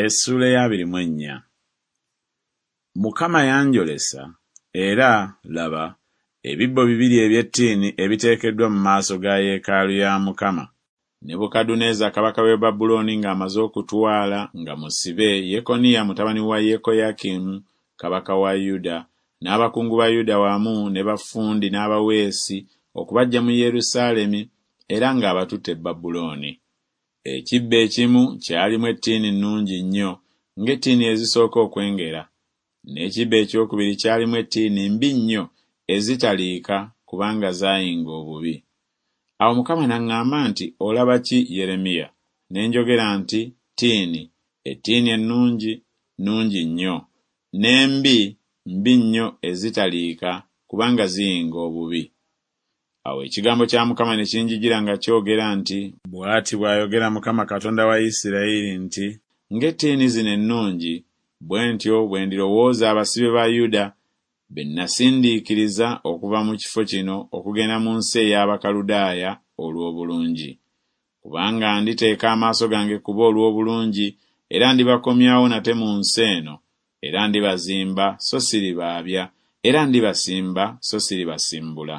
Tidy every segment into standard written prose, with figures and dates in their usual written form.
Essuula ey'abiri mu ennya. Mukama yanjolesa, era, laba, ebibbo bibiri eby'ettiini ebiteekeddwa mu maaso ga yeekaalu ya Mukama. Nebukadduneeza kabaka w'e Babulooni ng'amaze okutwala nga musibe Yekoniya mutabani wa Yekoyakimu kabaka wa Yuda n'abakungu ba Yuda wamu ne baffundi n'abaweesi okubaggya mu Yerusaalemi era ng'abatutte e Babulooni. Ekibbo ekimu kyalimu ettiini nnungi nnyo, ng'ettiini ezisooka okwengera, n'ekibbo eky'okubiri kyalimu ettiini mbi nnyo ezitaliika kubanga zaayinga obubi. Awo Mukama n'aŋŋamba nti, Olaba ki, Yeremiya? Ne njogera nti, Ttiini, ettiini ennungi, nnungi nnyo, n'embi, mbi nnyo ezitaliika kubanga ziyinga obubi. Awo ekigambo kya Mukama ne kinjijira nga kyogera nti, Bw'ati bw'ayogera Mukama Katonda wa Isirayiri nti, Ng'ettiini zino ennungi, bwe ntyo bwe ndirowooza abasibe ba Yuda be nnasindiikiriza okuva mu kifo kino okugenda mu nsi ey'Abakaludaaya olw'obulungi. Kubanga nditeeka amaaso gange ku bo olw'obulungi, era ndibakomyawo nate mu nsi eno, era ndibazimba so siribaabya, era ndibasimba so siribasimbula.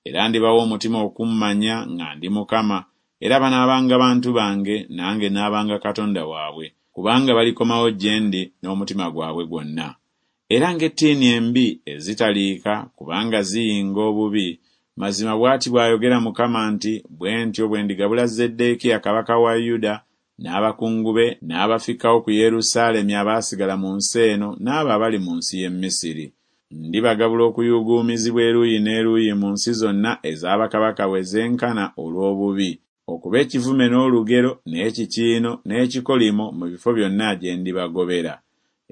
Era ndibawa omutima okummanya nga ndi Mukama, era banaabanga bantu bange, nange naabanga Katonda waabwe, kubanga balikomawo gye ndi n'omutima gwabwe gwonna. Era ng'ettiini embi ezitaliika, kubanga ziyinga obubi, mazima bw'ati bw'ayogera Mukama nti Bwe ntyo bwe ndigabula Zeddeekiya kabaka wa Yuda n'abakungu be n'abafikkawo ku Yerusaalemi abaasigala mu nsi eno n'abo abali mu nsi y'e Misiri. Ndibagabula okuyuuguumizibwa eruuyi n'eruuyi mu nsi zonna eza bakabaka we zenkana olw'obubi, okuba ekivume n'olugero n'ekikiino n'ekikolimo mu bifo byonna gye ndibagobera.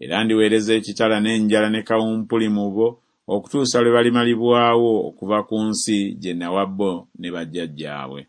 Era ndiweereza ekitala n'enjala ne kawumpuli mu bo okutuusa lwe balimalibwawo okuva ku nsi gye nawa bo ne bajjajjaabwe.